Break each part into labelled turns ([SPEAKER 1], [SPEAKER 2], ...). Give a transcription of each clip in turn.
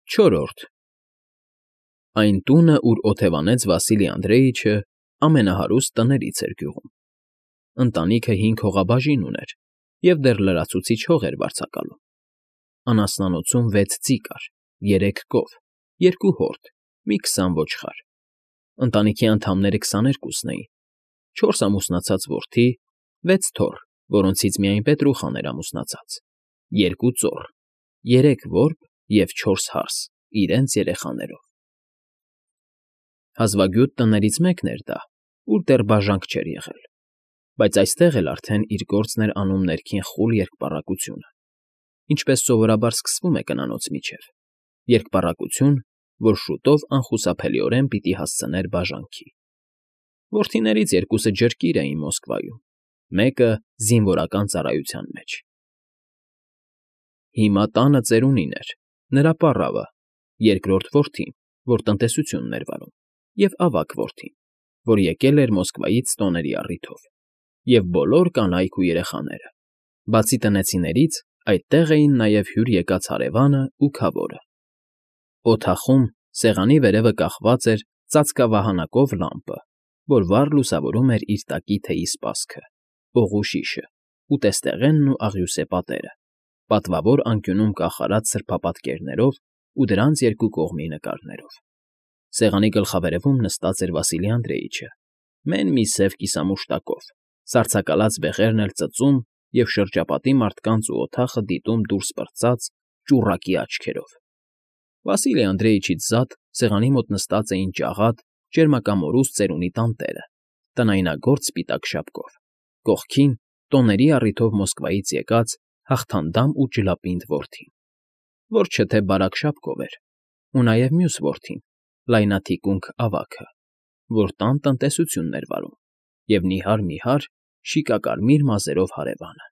[SPEAKER 1] Չորրորդ Այն տունը, ուր օթևանեց Վասիլի Անդրեիչը, ամենահարուստ տներից էր գյուղում. ընտանիքը 5 հողաբաժին ուներ և դեռ լրացուցիչ հող էր վարձակալում. անասնանոցում 6 ձի կար, 3 կով, 2 հորթ, մի 20 ոչխար. ընտանիքի անդամները 22-ն էին, 4 ամուսնացած որդի, 6 թոռ, որոնցից միայն Պետրուխան էր ամուսնացած, 2 ծոռ, 3 որբ և 4 հարս իրենց երեխաներով. հազվագյուտ տներից մեկն էր դա, ուր դեռ բաժանք չէր եղել, բայց այստեղ էլ արդեն իր գործն էր անում ներքին խուլ երկպառակությունը, ինչպես սովորաբար սկսվում է կնանոց միջև, երկպառակություն, որ շուտով անխուսափելիորեն պիտի հասցներ բաժանքի. որդիներից 2-ը ջրկիր էին Մոսկվայում, մեկը զինվորական ծառայության մեջ. Հիմա տանը ծերունին էր, նրա պառավը, երկրորդ որդին, որ տնտեսությունն էր վարում, և ավագ որդին, որ եկել էր Մոսկվայից տոների առիթով, և բոլոր կանայք ու երեխաները, բացի տնեցիներից այդտեղ էին նաև հյուր եկած հարևանը ու քավորը. օդախում սեղանի վերևը կախված էր ծածկավահանակով լամպը, որ վառ լուսավորում էր իր տակի թեյի սպասքը, օղու շիշը, ուտեստեղենն ու աղյուսե պատերը, պատվավոր անկյունում կախարած սրբապատկերներով ու դրանց երկու կողմի նկարներով. սեղանի գլխավերևում նստած էր Վասիլի Անդրեիչը, մեն մի սև կիսամուշտակով, սառցակալած բեղերն էլ ծծում և շրջապատի մարդկանց ու օդախը դիտում դուրս պրծած ճուռակի աչքերով. Վասիլի Անդրեիչից զատ սեղանի մոտ նստած էին ջաղատ, ճերմակամորուս ծերունի տանտերը, տնայնագործ սպիտակ շապկով, կողքին տոների առիթով Մոսկվայից եկած հաղթանդամ ու ջլապինդ որդին, որ չէ թե բարակ շապկով էր, ու նաև մյուս որդին, լայնաթիկունք ավագը, որ տան տնտեսությունն էր վարում, և նիհար շիկակարմիր մազերով հարևանը.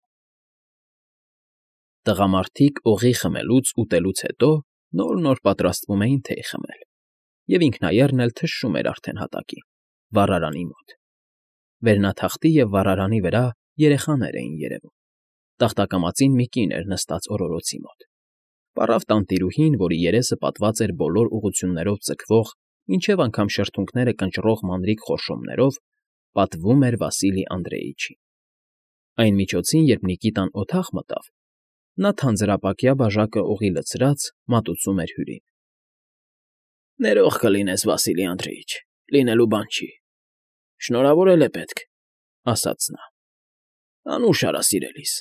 [SPEAKER 1] տղամարդիկ օղի խմելուց ուտելուց հետո նոր պատրաստվում էին թեյ խմել, և ինքնայեռն էլ թշշում էր արդեն հատակին, վառարանի մոտ. վերնաթախտի և վառարանի վրա երեխաներ էին երևում, տախտակամածին մի կին էր նստած օրորոցի մոտ, պառավ տանտիրուհին, որի երեսը պատված էր բոլոր ուղղություններով ձգվող, մինչև անգամ շրթունքները կնճռող մանրիկ խորշոմներով, պատվում էր Վասիլի Անդրեիչին. այն միջոցին, երբ Նիկիտան օդախ մտավ, նա թանձրապակյա բաժակը օղի լցրած մատուցում էր հյուրին. Ներող կլինես, Վասիլի Անդրեիչ, լինելու բան չի, շնորհավորել է պետք, ասաց նա. անուշ արա սիրելիս.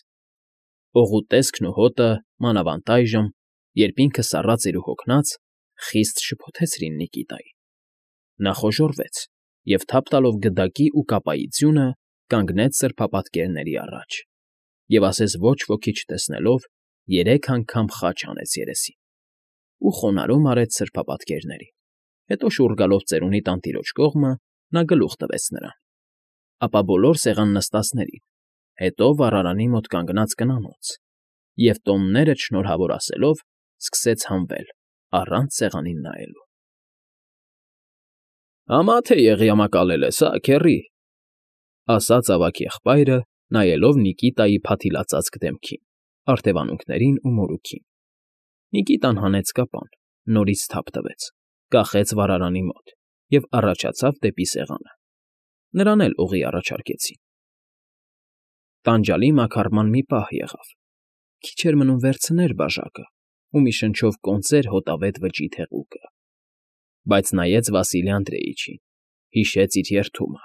[SPEAKER 1] օղու տեսքն ու հոտը մանավանդ այժմ, երբ ինքը սառած էր ու հոգնած, խիստ շփոթեցրին Նիկիտային. նա խոժոռվեց և թափ տալով գդակի ու կապայի ձյունը, կանգնեց սրբապատկերների առաջ և ասես ոչ ոքի չտեսնելով 3 անգամ խաչ հանեց երեսին ու խոնարհում արեց սրբապատկերներին, հետո շուռ գալով ծերունի տանտիրոջ կողմը, նա գլուխ տվեց նրան, ապա բոլոր սեղան նստածներին, հետո վառարանի մոտ կանգնած կնանոց և տոններդ շնորհավոր ասելով, սկսեց հանվել, առանց սեղանին նայելու. Համա թե եղյամակալել ես, հա, քեռի, ասաց ավագ եղբայրը, նայելով Նիկիտայի փաթիլածածկ դեմքին, արդևանունքներին ու մորուքին. Նիկիտան հանեց կապան, նորից թափ տվեց, կախեց վառարանի մոտ և առաջացավ դեպի սեղանը. նրան էլ օղի առաջարկեցին. տանջալի մաքարման մի պահ եղավ, քիչ էր մնում վերցներ բաժակը ու մի շնչով կոնծեր հոտավետ վճիտ հեղուկը, բայց նայեց Վասիլի Անդրեիչին, հիշեց իր երդումը,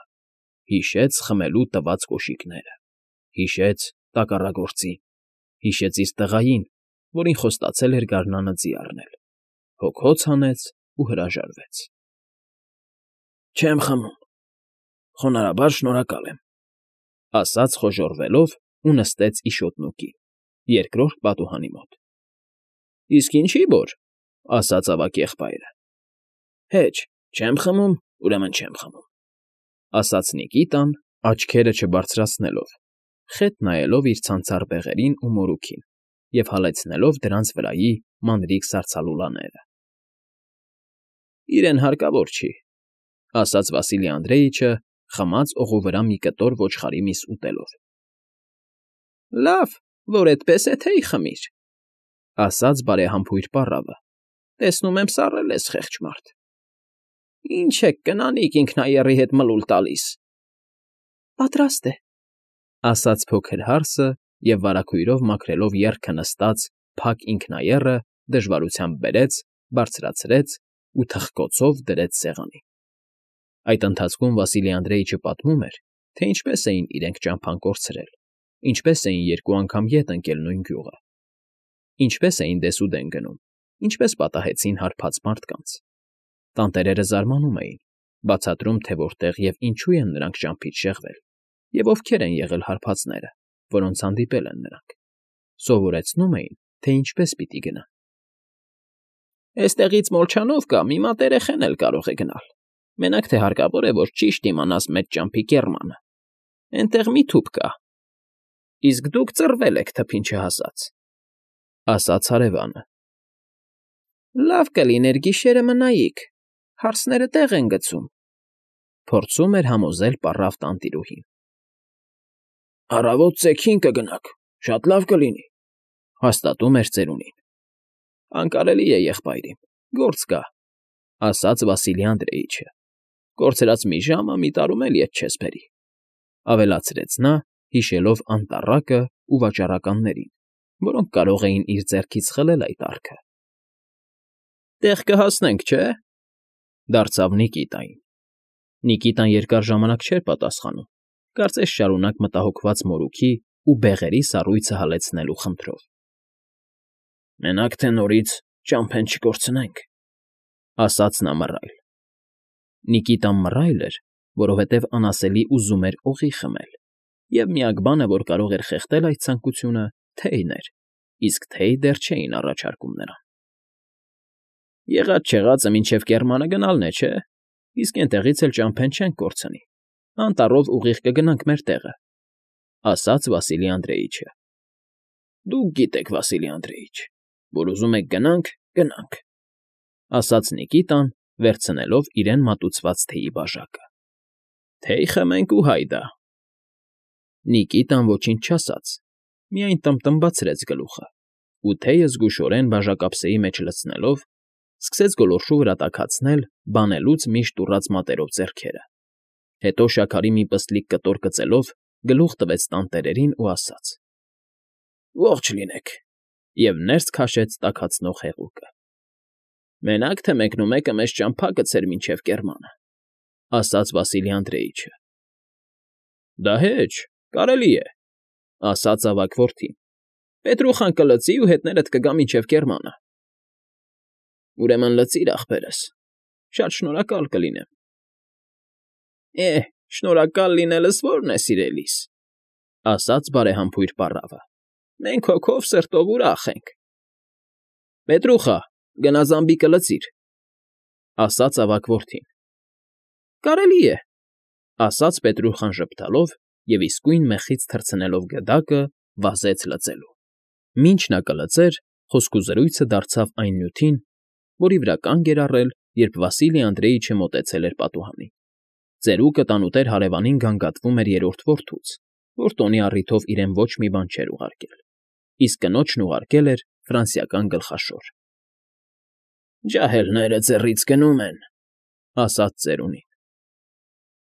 [SPEAKER 1] հիշեց խմելու տված կոշիկները, հիշեց տակառագործին, հիշեց իր տղային, որին խոստացել էր գարնանը ձի առնել, հոգոց հանեց ու հրաժարվեց. Չեմ խմում, խոնարհաբար շնորհակալ եմ, ասաց խոժոռվելով ու նստեց իշոտնուկի, երկրորդ պատուհանի մոտ. Իսկ ինչի՞ որ, ասաց ավագ եղբայրը. Հեչ, չեմ խմում, ուրեմն չեմ խմում, ասաց Նիկիտան, աչքերը չբարձրացնելով, խետ նայելով իր ցանցառ բեղերին ու մորուքին և հալեցնելով դրանց վրայի մանրիկ սառցալուլաները. Իրեն հարկավոր չի, ասաց Վասիլի Անդրեիչը, խմած օղու վրա մի կտոր ոչխարի միս ուտելով. Լավ, որ էդպես է թեյ խմիր, ասաց բարեհամբույր պառավը, Տեսնում եմ, սառել ես, խեղճ մարդ։ Ինչ եք կնանիք ինքնաեռի հետ մլուլ տալիս։ Պատրաստ է, ասաց փոքր հարսը և վարագույրով մաքրելով եռքը նստած փակ ինքնաեռը դժվարությամբ բերեց, բարձրացրեց ու թխկոցով դրեց սեղանին։ Այդ ընթացքում Վասիլի Անդրեիչը պատմում էր, թե ինչպես էին իրենք ճամփան կորցրել, ինչպես էին երկու անգամ ետ ընկել նույն գյուղը, ինչպես էին դեսուդեն գնում, ինչպես պատահեցին հարբած մարդկանց։ Տանտերերը զարմանում էին, բացատրում, թե որտեղ և ինչու են նրանք ճամփից շեղվել, և ովքեր են եղել հարբածները, որոնց հանդիպել են նրանք։ Սովորեցնում էին, թե ինչպես պիտի գնան։ Էստեղից Մոլչանով կա, մի մատ երեխեն էլ կարող է գնալ։ Մենակ թե հարկավոր է, որ ճիշտ իմանաս մեր ճամփի կեռմանը։ Էնտեղ մի թուփ կա։ Իսկ դուք ծռվել եք թփին չհասած, ասաց հարևանը։ Լավ կլիներ գիշերը մնայիք, հարսները տեղ են գցում, փորձում էր համոզել պառավ տանտիրուհին։ Առավոտ ծեքին կգնաք, շատ լավ կլինի, հաստատում էր ծերունին։ Անկարելի է, եղբայրիմ, գործ կա, ասաց Վասիլի Անդրեիչը։ Կորցրած մի ժամը մի տարում էլ ետ չես բերի, ավելացրեց նա, հիշելով անտառակը ու վաճառականներին, որոնք կարող էին իր ձեռքից խլել այդ արքը։ Տեղ կհասնենք, չէ՞, դարձավ Նիկիտային։ Նիկիտան երկար ժամանակ չէր պատասխանում, կարծես շարունակ մտահոգված մորուքի ու բեղերի սառույցը հալեցնելու խնդրով։ Մենակ թե նորից ճամփեն չկորցնենք, ասաց նա մռայլ։ Նիկիտան մռայլ էր, որովհետև անասելի ուզում էր օղի խմել, և միակ բանը, որ կարող էր խեղդել այդ ցանկությունը, թեյն էր, իսկ թեյ դեռ չէին առաջարկում նրան։ Եղած֊չեղածը մինչև կեռմանը գնալն է, չէ՞, իսկ էնտեղից էլ ճամփեն չենք կորցնի, անտառով ուղիղ կգնանք մեր տեղը, ասաց Վասիլի Անդրեիչը։ Դուք գիտեք, Վասիլի Անդրեիչ, որ ուզում եք գնանք, գնանք, ասաց Նիկիտան, վերցնելով իրեն մատուցված թեյի բաժակը։ Թեյ խմենք ու հայդա։ Նիկիտան ոչինչ չասաց, միայն տմբտմբացրեց գլուխը, ու թեյը զգուշորեն բաժակապսեի մեջ լցնելով, սկսեց գոլորշու վրա տաքացնել բանելուց միշտ ուռած մատերով ձեռքերը։ Հետո շաքարի մի պստլիկ կտոր կծելով գլուխ տվեց տանտերերին ու ասաց. Ողջ լինեք, և ներս քաշեց տաքացնող հեղուկը։ Մենակ թե մեկնումեկը մեզ ճամփա գցեր մինչև կեռմանը, ասաց Վասիլի Անդրեիչը։ Դա հեչ, կարելի է, ասաց ավագ որդին։ Պետրուխան կլցի ու հետներդ կգա մինչև կեռմանը։ Ուրեմն լցիր, ախպերս, շատ շնորհակալ կլինեմ։ Շնորհակալ լինելս ո՞րն է, սիրելիս, ասաց բարեհամբույր պառավը։ Մենք հոգով սրտով ուրախ ենք։ Պետրուխա, գնա զամբիկը լցիր, ասաց ավագ որդին։ Կարելի է, ասաց Պետրուխան ժպտալով և իսկույն մեխից թռցնելով գդակը վազեց լցելու։ Մինչ նա կլցեր, խոսքուզրույցը դարձավ այն նյութին, որի վրա կանգ էր առել, երբ Վասիլի Անդրեիչը մոտեցել էր պատուհանին։ Ծերուկը տանուտեր հարևանին գանգատվում էր երրորդ որդուց, որ տոնի առիթով իրեն ոչ մի բան չէր ուղարկել, իսկ կնոջն ուղարկել էր ֆրանսիական գլխաշոր։ Ջահելները ձեռից գնում են, ասաց ծերունին։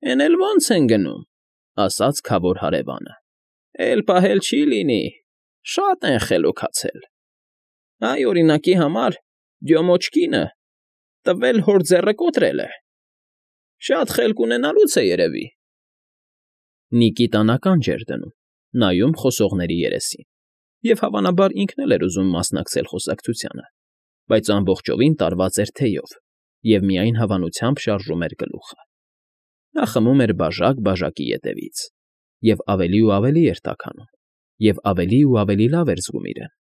[SPEAKER 1] Էն էլ ո՞նց են գնում, ասաց քավոր հարևանը։ Էլ պահել չի լինի, շատ են խելոքացել։ Այ օրինակի համար Դյոմոչկինը տվել հոր ձեռը կոտրել է։ Շատ խելք ունենալուց է երևի։ Նիկիտան ականջ էր դնում, նայում խոսողների երեսին, և հավանաբար ինքն էլ էր ուզում մասնակցել խոսակցությանը, բայց ամբողջովին տարված էր թեյով և միայն հավանությամբ շարժում էր գլուխը։ Նա խմում էր բաժակ բաժակի ետևից, և ավելի ու ավելի էր տաքանում, և ավելի ու ավելի լավ էր զգում իրեն։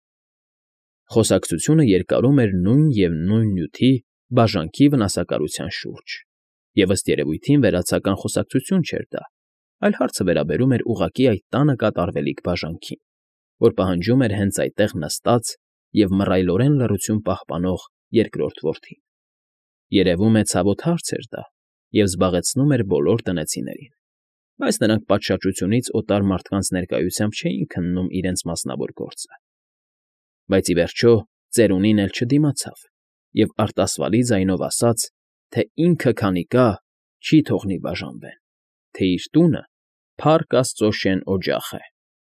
[SPEAKER 1] Խոսակցությունը երկարում էր նույն և նույն նյութի բաժանքի վնասակարության շուրջ, և ըստ երևույթին վերացական խոսակցություն չէր դա, այլ հարցը վերաբերում էր ուղղակի այդ տանը կատարվելիք բաժանքին, որ պահանջում էր հենց այդտեղ նստած և մռայլորեն լռություն պահպանող երկրորդ որդին։ Երևում է ցավոտ հարց էր դա և զբաղեցնում էր բոլոր տնեցիներին, բայց նրանք պատշաճությունից օտար մարդկանց ներկայությամբ չէին քննում իրենց մասնավոր գործը։ Բայց ի վերջո ծերունին էլ չդիմացավ և արտասվալի ձայնով ասաց, թե ինքը քանի կա, չի թողնի բաժանվեն, թե իր տունը Փառք Աստծո շեն օջախ է,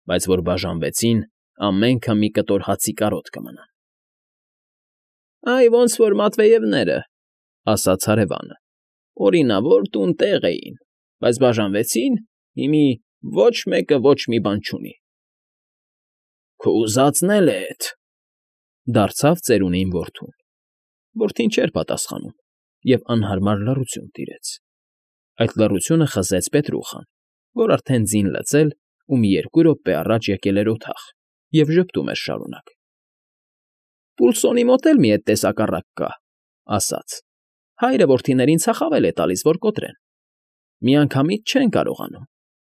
[SPEAKER 1] բայց որ բաժանվեցին, ամենքը մի կտոր հացի կարոտ կմնան։ Այ ոնց որ Մատվեևները, ասաց հարևանը, օրինավոր տուն֊տեղ էին, բայց բաժանվեցին, հիմի ոչ մեկը ոչ մի բան չունի։ Քո ուզածն էլ է էդ, դարձավ ծերունին որդուն։ Որդին չէր պատասխանում, և անհարմար լռություն տիրեց։ Այդ լռությունը խզեց Պետրուխան, որ արդեն ձին լծել ու մի 2 րոպե առաջ եկել էր օդախ և ժպտում էր շարունակ։ Պուլսոնի մոտ էլ մի էդ տեսակառակ կա, ասաց. հայրը որդիներին ցախավել է տալիս, որ կոտրեն։ Միանգամից չեն կարողանում,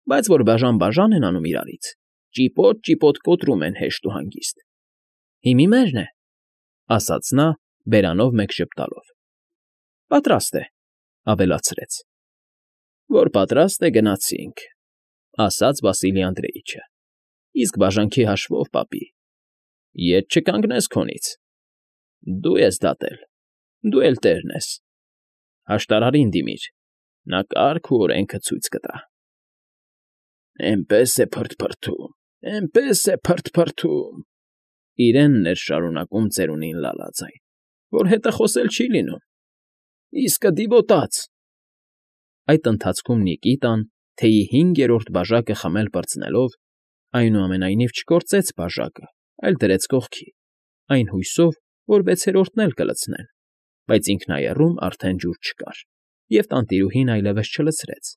[SPEAKER 1] բայց որ բաժան են անում իրարից, ճիպոտ կոտրում են հեշտ ու հանգիստ։ Հիմի մերն է, ասաց նա, բերանով մեկ ժպտալով։ Պատրաստ է, ավելացրեց։ Որ պատրաստ է, գնացինք, ասաց Վասիլի Անդրեիչը։ Իսկ բաժանքի հաշվով, պապի, ետ չկանգնես քոնից։ Դու ես դատել, դու էլ տերն ես։ Հաշտարարին դիմիր, նա կարգ ու օրենքը ցույց կտա։ Էնպես է փրթփրթում, էնպես է փրթփրթում, իրենն էր շարունակում ծերունին լալաձայն, որ հետը խոսել չի լինում։ Իսկը դիվոտաց։ Այդ ընթացքում Նիկիտան, թեյի 5-րդ բաժակը խմել պրծնելով, այնուամենայնիվ չկործեց բաժակը, այլ դրեց կողքի, այն հույսով, որ 6-րդն էլ կլցնեն, բայց ինքնայեռում արդեն ջուր չկար, և տանտիրուհին այլևս չլցրեց։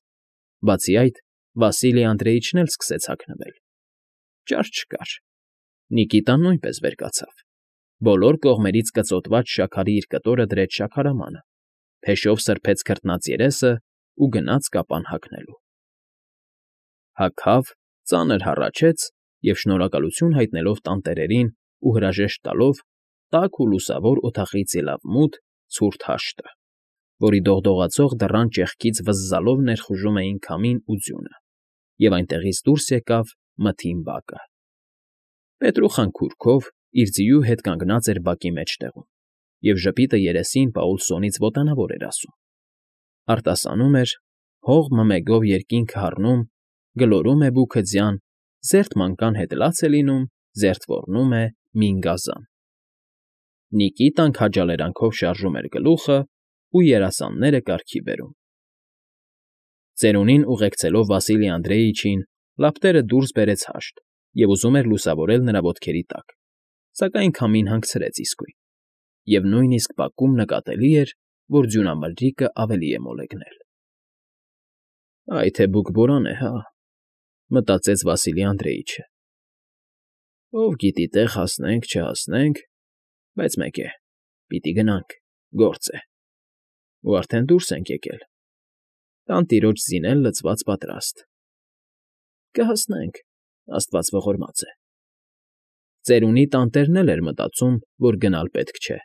[SPEAKER 1] Բացի այդ, Վասիլի Անդրեիչն էլ սկսեց հագնվել։ Ճար չկար։ Նիկիտան նույնպես վեր կացավ։ Բոլոր կողմերից կծոտված շաքարի իր կտորը դրեց շաքարամանը, փեշով սրբեց քրտնած երեսը ու գնաց կապան հագնելու։ Հագավ, ծանր հառաչեց և, շնորհակալություն հայտնելով տանտերերին ու հրաժեշտ տալով, տաք ու լուսավոր օդախից ելավ մութ, ցուրտ հաշտը, որի դողդողացող դռան ճեղքից վզզալով ներխուժում էին քամին ու ձյունը, և այնտեղից դուրս եկավ մթին բակը։ Պետրուխան քուրքով իր ձիու հետ կանգնած էր բակի մեջտեղում, և ժպիտը երեսին Պաուլսոնից ոտանավոր էր ասում։ Արտասանում էր. հող մմեգով երկինքը հառնում, գլորում է բուքը ձյան, զերծ մանկան հետ լաց է լինում, զերծ ոռնում է մինգազան։ Նիկիտան քաջալերանքով շարժում էր գլուխը ու երասանները կարգի բերում։ Ծերունին ուղեկցելով Վասիլի Անդրեիչին, լապտերը դուրս բերեց հաշտ և ուզում էր լուսավորել նրա ոտքերի տակ, սակայն քամին հանգցրեց իսկույն, և նույնիսկ բակում նկատելի էր, որ ձյունամրրիկը ավելի է մոլեգնել։ Այ թե բուկբորան է, հա, մտածեց Վասիլի Անդրեիչը։ Ով գիտի, տեղ հասնենք, չհասնենք, բայց մեկ է, պիտի գնանք, գործ է։ Ու արդեն դուրս ենք եկել։ Տանտիրոջ ձին էլ լցված պատրաստ։ Կհասնենք, Աստված ողորմած է։ Ծերունի տանտերն էլ էր մտածում, որ գնալ պետք չէ,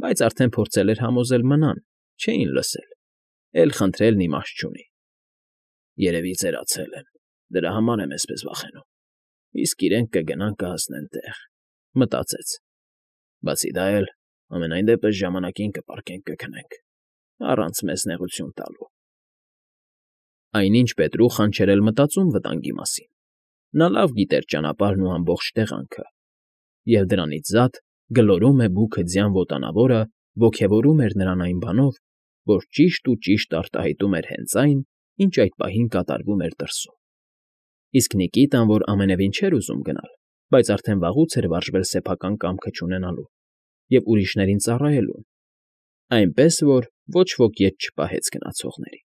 [SPEAKER 1] բայց արդեն փորձել էր համոզել մնան, չէին լսել, էլ խնդրելն իմաստ չունի։ Երևի ծերացել են, դրա համար եմ էսպես վախենում, իսկ իրենք կգնան կհասնեն տեղ, մտածեց։ Բացի դա էլ, ամենայն դեպս ժամանակին կպառկենք կքնենք, առանց մեզ նեղություն տալու։ Այնինչ Պետրուխան չէր էլ մտածում վտանգի մասին։ Նա լավ գիտեր ճանապարհն ու ամբողջ տեղանքը, և դրանից զատ գլորում է բուքը ձյան ոտանավորը ոգևորում էր նրան այն բանով, որ ճիշտ ու ճիշտ արտահայտում էր հենց այն, ինչ այդ պահին կատարվում էր դրսում։ Իսկ Նիկիտան, որ ամենևին չէր ուզում գնալ, բայց արդեն վաղուց էր վարժվել սեփական կամքը չունենալու և ուրիշներին ծառայելու, այնպես որ ոչ ոք ետ չպահեց գնացողներին։